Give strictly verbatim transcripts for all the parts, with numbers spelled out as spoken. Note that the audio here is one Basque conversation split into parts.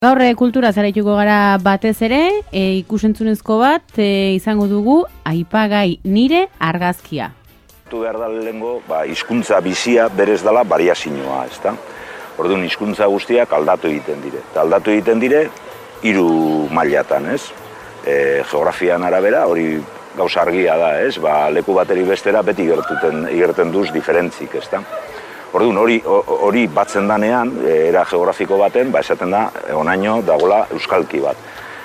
Gaur kultura zaraituko gara batez ere, e, ikusentzunezko bat e, izango dugu aipagai nire argazkia. Behar da lehengo, ba, hizkuntza bizia berez dela variazioa, ezta? Orduan hizkuntza guztiak aldatu egiten dire. Eta aldatu egiten dire hiru mailatan, ez? E, geografian arabera, hori gauza argia da, ez? Ba, leku bateri bestera beti gertuten, igerten duz diferentzik, ezta? Orduan, hori, hori batzen danean, era geografiko baten, ba, esaten da, onaino dagoela euskalki bat.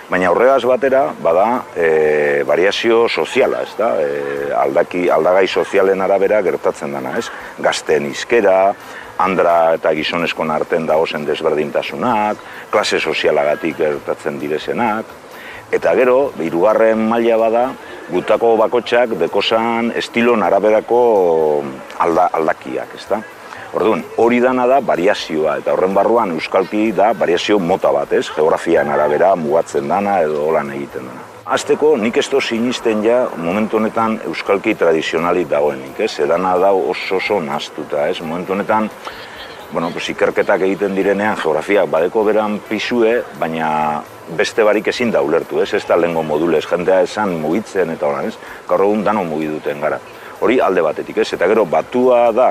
Baina horregaz batera, bada, e, variazio soziala, ez da? E, aldaki, aldagai sozialen arabera gertatzen dana, ez? Gazten hizkera, andra eta gizonezkon arten dagozen desberdintasunak, klase sozialagatik gertatzen direzenak, eta gero, hirugarren maila bada, gutako bakotxak dekozan estilon araberako alda, aldakiak, ez da? Orduan, hori dana da variazioa, eta horren barruan euskalki da variazio mota bat, ez? Geografian arabera mugatzen dana edo holan egiten dana. Azteko, nik ez to sinisten ja momentu honetan euskalki tradizionalik dagoenik, ez? Edana da oso oso naztuta, ez? Momentu honetan, bueno, pues, ikerketak egiten direnean geografiak badeko beran pisue, baina beste barik ezin da ulertu, ez? Ez da lehengo modulez, jendea esan mugitzen eta holan, ez? Gaur egun dano mugiduten gara. Hori alde batetik, ez? Eta gero, batua da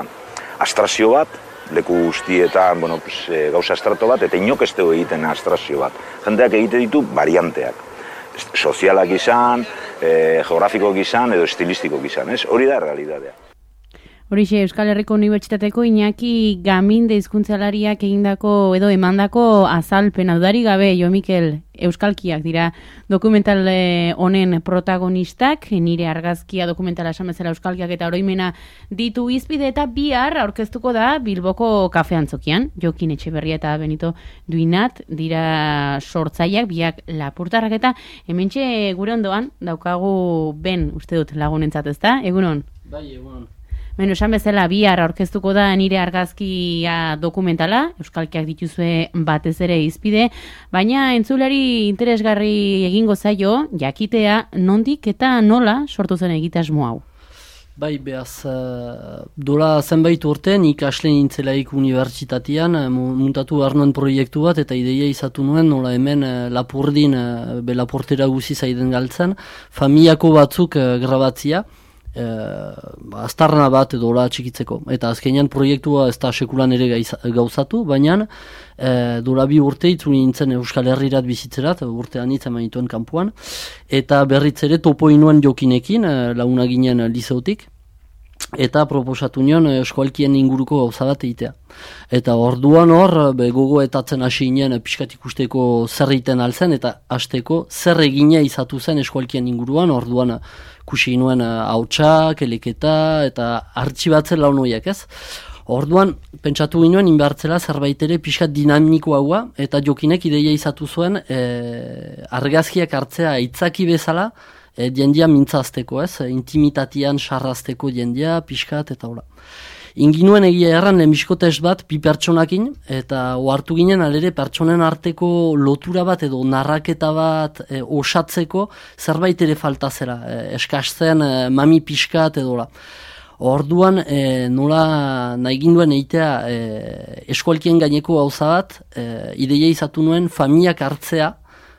abstrazio bat, leku guztietan, bueno, pues, e, gauza estrato bat, eta inok ez dugu egiten abstrazio bat. Jendeak egite ditu varianteak. Sozialak izan, e, geografikoak izan, edo estilistikoak izan, ez? Hori da realitatea. Horixe, Euskal Herriko Unibertsitateko Iñaki Gaminde hizkuntzalariak egindako edo emandako azalpena dudarik gabe, Jo Mikel, euskalkiak dira dokumental honen protagonistak, nire argazkia dokumentala esan bezala euskalkiak eta oroimena ditu izpide eta bihar aurkeztuko da Bilboko kafe antzokian, Jokin Etxeberria eta Benito Duinat dira sortzaileak, biak lapurtarrak eta hementxe gure ondoan daukagu Ben, uste dut lagunentzat, ezta? Egunon? Bai, egunon. Beno, esan bezala, bihar aurkeztuko da nire argazkia dokumentala, euskalkiak dituzue batez ere izpide, baina entzulari interesgarri egingo zaio, jakitea nondik eta nola sortu zen egitasmo hau. Bai, behaz, uh, dola zenbait urte, nik asle nintzelaik unibertsitatean, muntatu arnoen proiektu bat, eta ideia izatu nuen, nola hemen uh, lapurdin, uh, be laportera guzi zaiden galtzen, familiako batzuk uh, grabatzia, Uh, aztarna bat edo hola txikitzeko. Eta azkenean proiektua ez da sekulan ere gauzatu, baina uh, dola bi urte itzuli nintzen Euskal Herrirat bizitzerat, urte anitza manituen kanpuan, eta berriz ere topo inuen Jokinekin, uh, launa ginen liseotik, eta proposatu nion eskualkien inguruko gauza bat egitea. Eta orduan hor, be, gogo etatzen hasi ginen pixkat ikusteko zer egiten alzen, eta hasteko zer egina izatu zen eskualkien inguruan, orduan kusi nuen hautsak, eleketa, eta artxibatzen laun horiek, ez? Orduan, pentsatu ginoen, inbertzela zerbait ere pixkat dinamiko haua, eta Jokinek ideia izatu zuen e, argazkiak hartzea aitzaki bezala, e, jendia mintzazteko, ez? Intimitatian sarrazteko jendia, pixkat, eta hola. Inginuen egia erran lehenbizko test bat bi pertsonakin, eta ohartu ginen alere pertsonen arteko lotura bat edo narraketa bat e, osatzeko zerbait ere falta zera, e, eskasten e, mami pixkat edo la. Orduan e, nola nahi ginduen eitea e, eskualkien gaineko gauza bat, e, ideia izatu nuen familiak hartzea,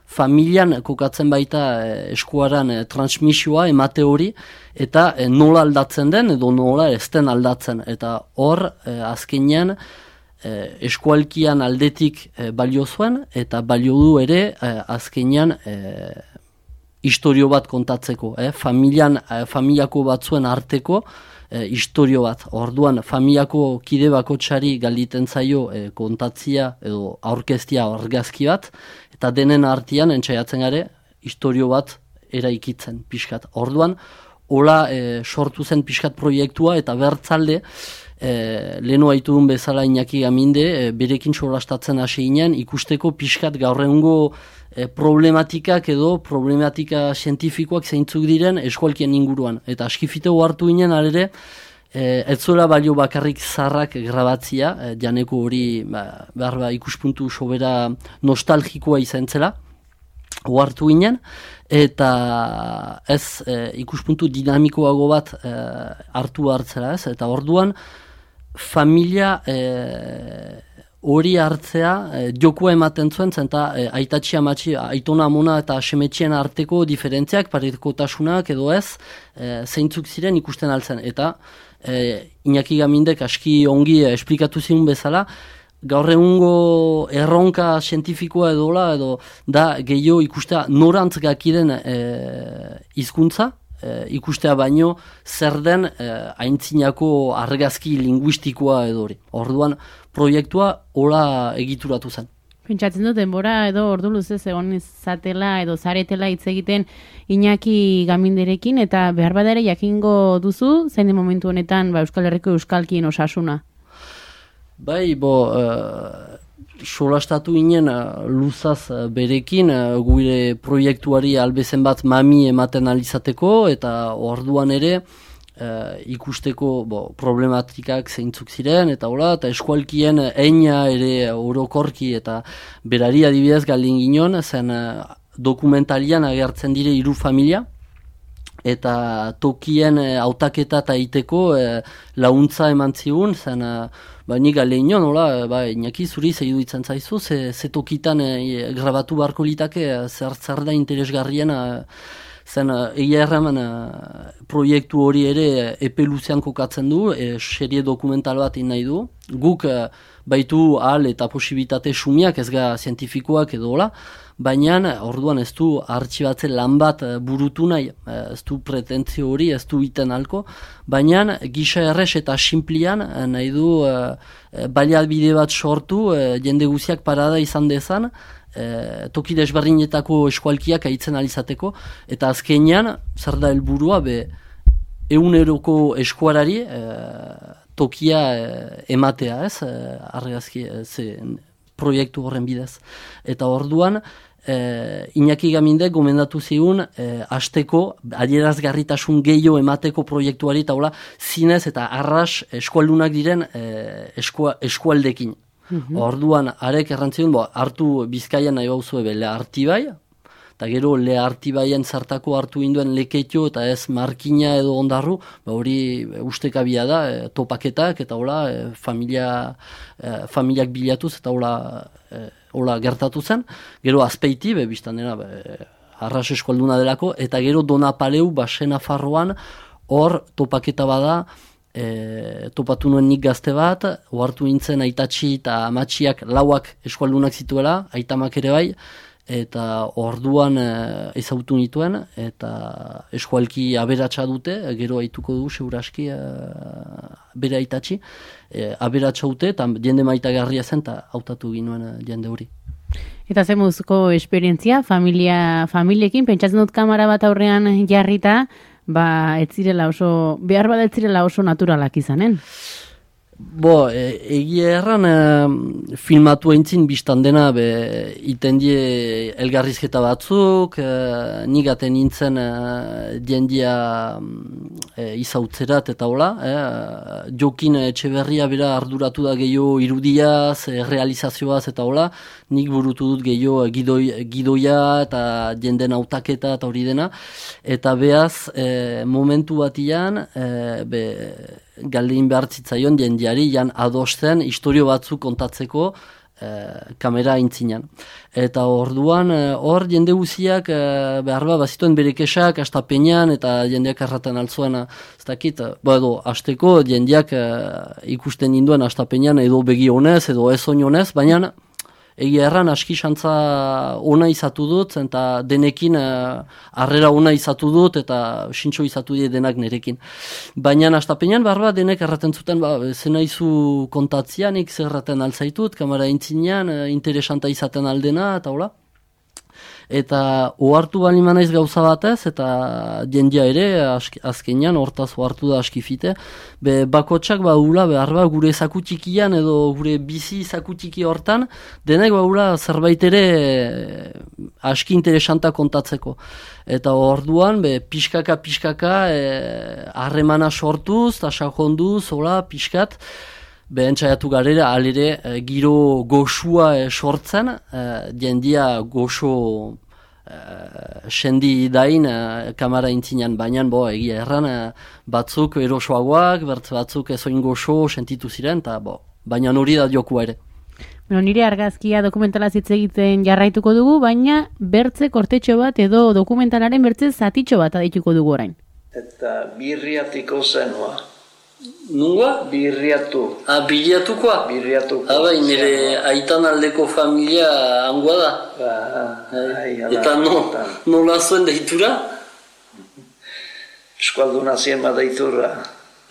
familian kokatzen baita e, eskuaran e, transmisioa emate hori, eta e, nola aldatzen den edo nola ez den aldatzen. Eta hor, e, azkenean, e, eskualkian aldetik e, balio zuen, eta balio du ere e, azkenean e, istorio bat kontatzeko. E, familian, e, familiako batzuen arteko e, istorio bat. Orduan, familiako kide bakotsari galditen zaio e, kontatzia edo aurkeztia argazki bat, eta denen artean entzaiatzen gare istorio bat eraikitzen pixkat. Orduan, hola e, sortu zen pixkat proiektua eta bertzalde e, lehenu haitu duen bezala Iñaki Gaminde e, berekin solastatzen hasi ginen ikusteko pixkat gaur egungo e, problematikak edo problematika zientifikoak zeintzuk diren eskualkien inguruan. Eta askifiteu hartu ginen alere E, ez zuela balio bakarrik zarrak grabatzia, e, janeko hori ba, behar ba, ikuspuntu sobera nostalgikoa izan zela, ohartu ginen, eta ez e, ikuspuntu dinamikoago bat e, hartu hartzera ez, eta orduan familia e, hori hartzea e, jokua ematen zuen, zenta e, aitatxi amatxi, aitona amona eta semetxien arteko diferentziak, parekotasunak edo ez, e, zeintzuk ziren ikusten altzen. Eta e, Iñaki Gamindek aski ongi e, esplikatu ziun bezala, gaur egungo erronka zientifikoa edola, edo da gehiago ikustea norantz gakiren e, hizkuntza, e, ikustea baino zer den e, aintzinako argazki linguistikoa edo hori. Orduan proiektua hola egituratu zen. Pentsatzen dut, denbora edo ordu luzez egon izatela edo zaretela hitz egiten Iñaki Gaminderekin, eta behar bada ere jakingo duzu, zein den momentu honetan ba, Euskal Herriko euskalkien osasuna? Bai, bo, uh, solastatu inen uh, luzaz uh, berekin uh, gure proiektuari albezen bat mami ematen alizateko, eta orduan ere uh, ikusteko bo, problematikak zeintzuk ziren, eta hola, eta eskualkien eina ere orokorki, eta berari adibidez galdin ginen, zen uh, dokumentalian agertzen dire hiru familia, eta tokien hautaketa eta iteko e, launtza eman zigun, zen e, ba, nik gale inion, hola, ba, Iñaki zuri zeidu ditzen zaizu, ze, ze tokitan e, grabatu beharko litake, zer, zer da interesgarrien, e, zen egia erraman e, proiektu hori ere epe luzean kokatzen du, e, serie dokumental bat nahi du, guk e, baitu ahal eta posibilitate sumiak ez ga zientifikoak edo hola, baina orduan ez du artxibatzen lan bat burutu nahi, ez du pretentzio hori, ez du iten alko, baina gisa errez eta simplian nahi du uh, baliabide bat sortu, uh, jende guziak parada izan dezan, uh, toki desberdinetako eskualkiak aitzen alizateko, eta azkenean, zer da helburua, be, eguneroko eskuarari uh, tokia uh, ematea, ez, uh, argazki, uh, ze, proiektu horren bidez. Eta orduan, eh, Iñaki Gamindek gomendatu zigun eh, hasteko adierazgarritasun gehiago emateko proiektuari, eta hola, zinez eta arras eskualdunak diren eh, eskua, eskualdekin. Mm-hmm. Orduan, arek errantzion, bo, hartu Bizkaian nahi bauzu ebe Lehartibai, eta gero Lehartibaien zartako hartu induen Leketio eta ez Markina edo Ondarru, ba hori ustekabia da, e, topaketak eta hola, e, familia, e, familiak bilatuz eta hola, e, hola gertatu zen. Gero Azpeiti, be, biztan dena, be, arras eskualduna delako, eta gero Donapaleu, Basena Farroan, hor topaketa bada, e, topatu nuen nik gazte bat, ohartu nintzen aitatxi eta amatxiak lauak eskualdunak zituela, aitamak ere bai, eta orduan e, ezautu nituen, eta eskualki aberatsa dute, gero aituko du, seguraski, e, bere aitatxi, e, aberatsa dute, eta jende maitagarria zen, eta hautatu ginuen e, jende hori. Eta ze muzko esperientzia, familia, familiekin, pentsatzen dut kamera bat aurrean jarrita, ba, ez zirela oso, behar bat ez zirela oso naturalak izanen. Bo, e, egia erran e, filmatu eintzin biztan dena be, iten die elgarrizketa batzuk, e, nigaten nintzen e, diendia e, izautzerat eta hola, e, Jokin Etxeberria bera arduratu da gehiago irudiaz, e, realizazioaz eta hola, nik burutu dut gehiago gidoi, gidoia eta jenden hautaketa eta hori dena, eta behaz e, momentu batian, e, be, galdein behar zitzaion jendiari jan adosten historio batzuk kontatzeko e, kamera aintzinan. Eta orduan hor jende guziak e, behar ba, bazituen bere kesak astapenean eta jendeak erraten altzuena ez dakit, ba edo hasteko jendeak e, ikusten induen astapenean edo begi honez edo ez oin honez, baina egia erran aski xantza ona izatu dut, eta denekin harrera ona izatu dut, eta sintxo izatu die denak nerekin. Baina astapenean barba denek erraten zuten, ba, zena izu kontatzianik zer erraten alzaitut, kamera intzinean, interesanta izaten aldena, eta hola. Eta ohartu bali manaiz gauza batez, eta jendia ere, aski, azkenean, hortaz ohartu da askifite, be bakotsak baula behar ba, gure zakutikian edo gure bizi zakutiki hortan, denek baula zerbait ere aski interesanta kontatzeko. Eta orduan, be, pixkaka, pixkaka, harremana e, sortuz, eta sakonduz, hola, pixkat, behen txaiatu garera, alere, e, giro goxua e, sortzen, e, jendia goxo e, sendi dain e, kamara intzinean, baina, bo, egia erran, e, batzuk erosoagoak, bertz batzuk ezoin goxo sentitu ziren, eta, bo, baina hori da jokua ere. Bueno, nire argazkia dokumentala hitz egiten jarraituko dugu, baina bertze kortetxo bat edo dokumentalaren bertze zatitxo bat adituko dugu orain. Eta birriatiko zenua. Nungoa? Birriatu. Ah, birriatukoa? Birriatuko. Ah, bai, nire aitan aldeko familia hangoa da. Ba, ai, eta no, nola zuen deitura? Eskualduna zien bat deitura.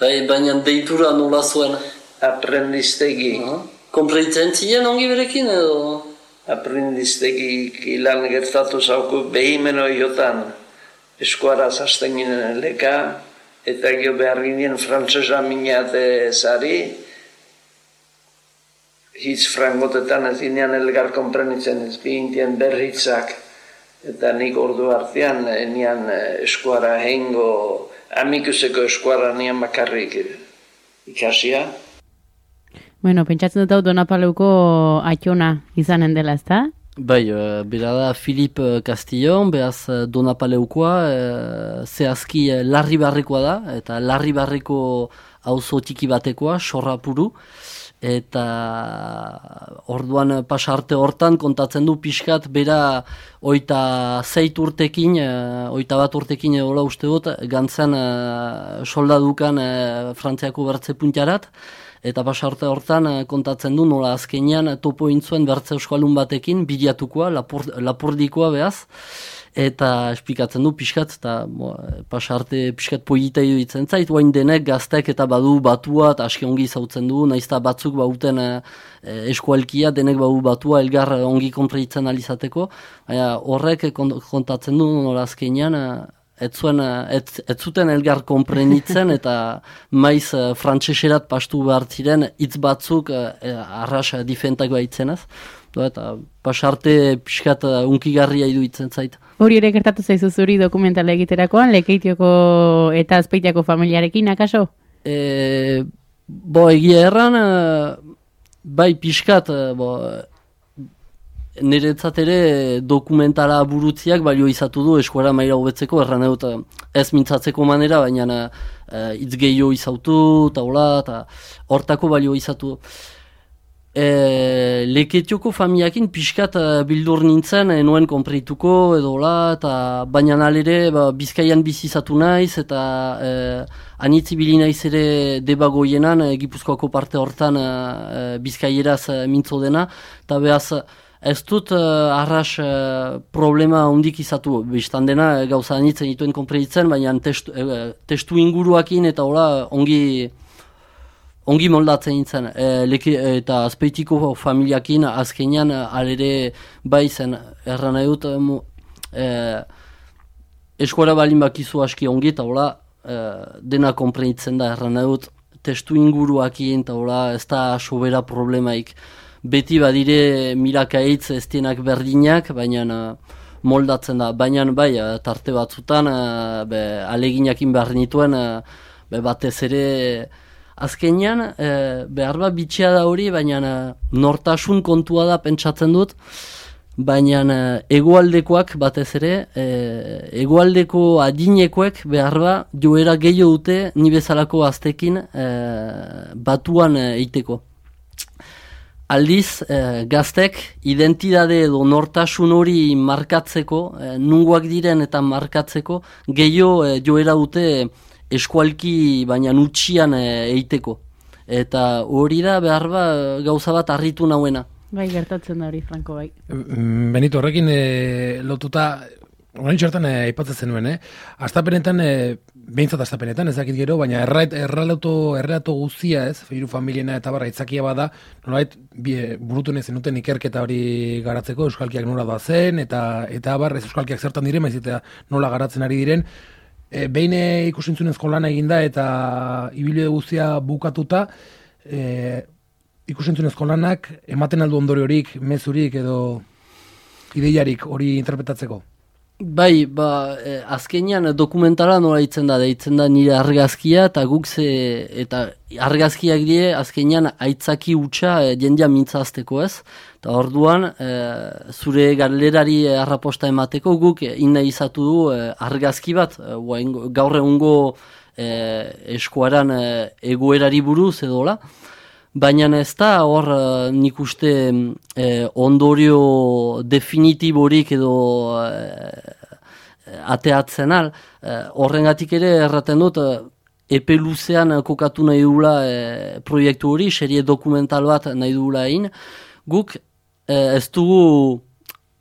Bai, baina deitura nola zuen? Aprendiztegi. Uh -huh. Konpreitzen ziren ongi berekin edo? Aprendiztegi lan gertatu zauku behimeno jotan. Eskuaraz hasten ginen leka. Eta gio behar ginen frantzesa minate zari, hitz frangotetan ez ginean elgar konprenitzen ez bihintien berritzak. Eta nik ordu artean nian eskuara hengo, amikuseko eskuara nian bakarrik ikasia. Bueno, pentsatzen dut hau Donapaleuko atxona izanen dela, ezta? Bai, uh, bera da Filip Castillon, behaz Donapaleukoa, uh, zehazki uh, Larribarrekoa da, eta Larribarreko auzo txiki batekoa, Sorrapuru, eta orduan pasarte hortan kontatzen du pixkat, bera oita zeit urtekin, uh, oita bat urtekin edola uste dut, gantzen uh, soldadukan uh, Frantziako bertze puntiarat, eta pasarte hortan kontatzen du nola azkenean topo intzuen bertze euskalun batekin, bilatukoa, lapur, lapurdikoa behaz, eta esplikatzen du pixkat, eta pasarte pixkat polita iduditzen zait, oain denek gaztek eta badu batua, eta aski ongi zautzen du, naizta batzuk bauten e, eskualkia, denek badu batua, elgar ongi konpreitzen alizateko, horrek kontatzen du nola azkenean, Ez, zuen, ez, ez zuten elgar konprenitzen eta maiz uh, frantseserat pastu behar ziren hitz batzuk uh, arras uh, difentak baitzenaz. Eta pasarte pixkat uh, unkigarria iduitzen zait. Hori ere gertatu zaizu zuri dokumentala egiterakoan, Lekeitioko eta Azpeitiako familiarekin, akaso? E, bo, egia erran, uh, bai pixkat, uh, bo, niretzat ere dokumentala burutziak balio izatu du eskuara maila hobetzeko, erran egut ez mintzatzeko manera, baina hitz uh, gehiago izautu, eta hola, eta hortako balio izatu. E, Leketioko familiakin pixkat uh, bildur nintzen, enuen konpreituko, edo hola, eta baina alere ba, Bizkaian bizizatu naiz, eta uh, anitzi bili naiz ere debagoienan, uh, Gipuzkoako parte hortan uh, Bizkaieraz uh, mintzo dena, eta behaz, ez dut uh, arras uh, problema hondik izatu, biztan dena gauza anitzen dituen konpreitzen, baina testu, uh, testu inguruakin eta hola ongi, ongi moldatzen nintzen. E, leke, eta Azpeitiko familiakin azkenean alere bai zen erran nahi dut e, eskuara balin bakizu aski ongi eta hola e, dena konpreitzen da erran nahi dut testu inguruakin eta hola ez da sobera problemaik. Beti badire milakaitz ez dienak berdinak, baina moldatzen da. Baina bai, tarte batzutan, be, aleginakin behar nituen, be, batez ere azkenean, e, behar bat bitxea da hori, baina nortasun kontua da pentsatzen dut, baina egoaldekoak batez ere, e, egoaldeko adinekoek behar bat joera gehiago dute ni bezalako aztekin e, batuan eiteko. Aldiz, eh, gaztek identitate edo nortasun hori markatzeko, eh, nungoak diren eta markatzeko, gehiago eh, joera dute eskualki baina nutxian eh, eiteko. Eta hori da behar ba, gauza bat harritu nauena. Bai, gertatzen da hori, Franko, bai. Benito, horrekin eh, lotuta, orain txartan aipatzen eh, zenuen, eh? Astapenetan, eh, behintzat astapenetan, ez dakit gero, baina errelato, errelato guzia, ez, hiru familiena eta barra itzakia bada, nolabait burutu nahi zenuten ikerketa hori garatzeko, euskalkiak nola da zen, eta eta barra ez euskalkiak zertan diren, maiz eta nola garatzen ari diren, e, behin ikusintzunezko lana eginda eta ibilbide guztia bukatuta, e, ikusintzunezko lanak ematen aldu ondoriorik, mezurik edo ideiarik hori interpretatzeko? Bai, ba, eh, azkenean dokumentala nola ditzen da, deitzen da nire argazkia, eta guk ze, eta argazkiak die azkenean aitzaki hutsa e, jendia mintzazteko ez, eta orduan e, zure galerari arraposta emateko guk e, inna izatu du e, argazki bat, e, gaur egungo e, eskuaran e, egoerari buruz edola, baina ez da hor uh, nik uste eh, ondorio definitiborik edo eh, ateatzen al, eh, horrengatik ere erraten dut, eh, epe luzean kokatu nahi dugula eh, proiektu hori, serie dokumental bat nahi dugula egin, guk eh, ez dugu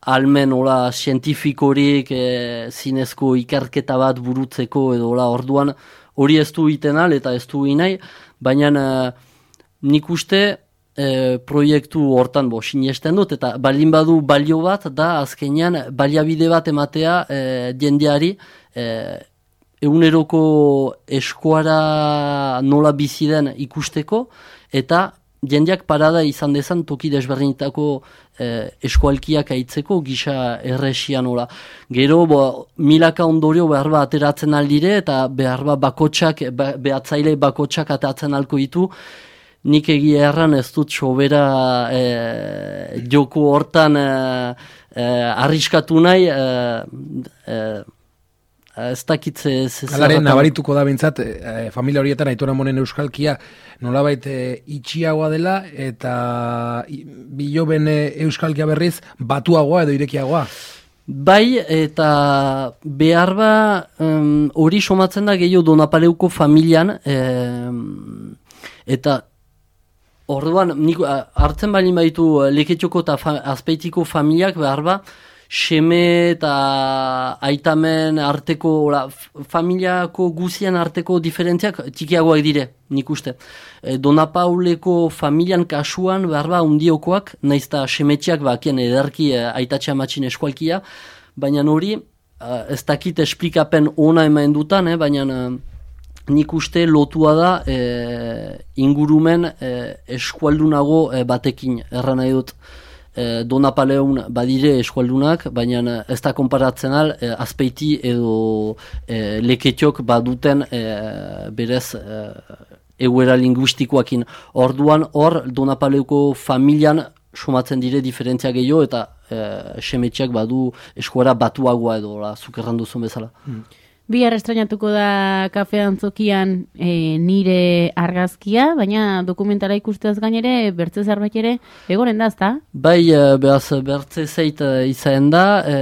almen hola zientifikorik e, zinezko ikerketa bat burutzeko edo hola orduan hori ez du iten al eta ez du inai, baina e, nik uste e, proiektu hortan bo sinesten dut eta baldin badu balio bat da azkenean baliabide bat ematea e, jendeari e, eguneroko eskuara nola bizi den ikusteko eta jendeak parada izan dezan toki desberdinetako eh, eskualkiak aitzeko gisa erresia nola. Gero bo, milaka ondorio behar ba ateratzen aldire eta behar ba bakotxak, ba, behatzaile bakotxak ateratzen alko ditu. Nik egia erran ez dut sobera eh, joko hortan eh, eh, arriskatu nahi eh, eh, ez dakitze... Alaren nabarituko da bintzat, e, familia horietan Aitor Amonen euskalkia nolabait e, itxiagoa dela eta biloben euskalkia berriz batuagoa edo irekiagoa. Bai, eta behar ba hori um, somatzen da gehiago Donapaleuko familian um, eta orduan nik hartzen bali baitu Leketxoko eta fa, Azpeitiko familiak behar ba seme eta aitamen arteko, ola, familiako guzian arteko diferentziak txikiagoak dire, nik uste. E, Donapauleko familian kasuan behar ba undiokoak, naiz eta semetxeak bakien ederki e, aitatxe amatxin eskualkia, baina hori e, ez dakit esplikapen ona emaen dutan, eh, baina e, nik uste lotua da e, ingurumen e, eskualdunago e, batekin, erran nahi dut. Donapaleun badire eskualdunak, baina ez da konparatzen al eh, Azpeiti edo eh, Leketxok baduten eh, berez eh, eguera linguistikoakin. Orduan hor Donapaleuko familian somatzen dire diferentzia gehiago eta eh, semetxeak badu eskuara batuagoa edo zuk errandu zuen bezala. Hmm. Bihar estrenatuko da Kafe Antzokian e, nire argazkia, baina dokumentala ikusteaz gainere, bertze zerbait ere, egoren da, ezta? Bai, behaz, bertze zeit izaen da, e,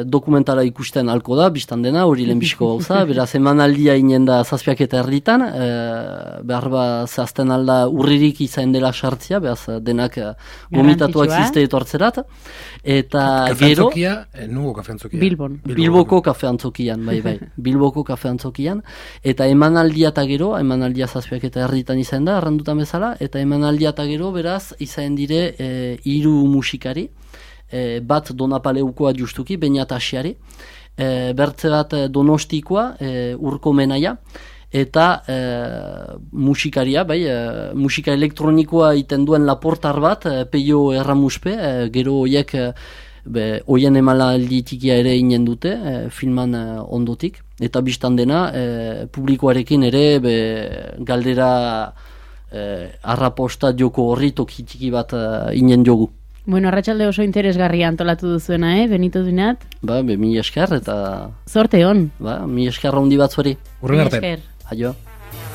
dokumentala ikusten alko da, biztan dena, hori lehenbiziko gauza, beraz, emanaldia inen da zazpiak eta erditan, e, behar ba, zehazten alda urririk izaen dela sartzia, behaz, denak gomitatuak zizte etortzerat, eta Kafe gero... Antzokia, e, nugo Kafe Antzokia? Bilbon. Bilboko Kafe Antzokian, bai, bai. Bilboko Kafe Antzokian, eta emanaldia eta gero, emanaldia zazpiak eta erditan izan da, arrandutan bezala, eta emanaldia eta gero, beraz, izan dire e, hiru musikari, e, bat Donapaleukoa justuki, Beñat Asiari, e, bertze bat Donostikoa, e, Urko Menaia, eta e, musikaria, bai, e, musika elektronikoa iten duen laportar bat, e, Peio Erramuspe, e, gero hoiek e, Be, oien emalaldi tikia ere inen dute, e, filman e, ondotik, eta biztan dena e, publikoarekin ere be, galdera e, arraposta joko horri toki tiki bat e, inen jogu. Bueno, arratsalde oso interesgarria antolatu duzuena, eh, Benito Duinat? Ba, be, mi esker eta... Zorte hon. Ba, mi esker handi bat zuari. Urren arte. Aio.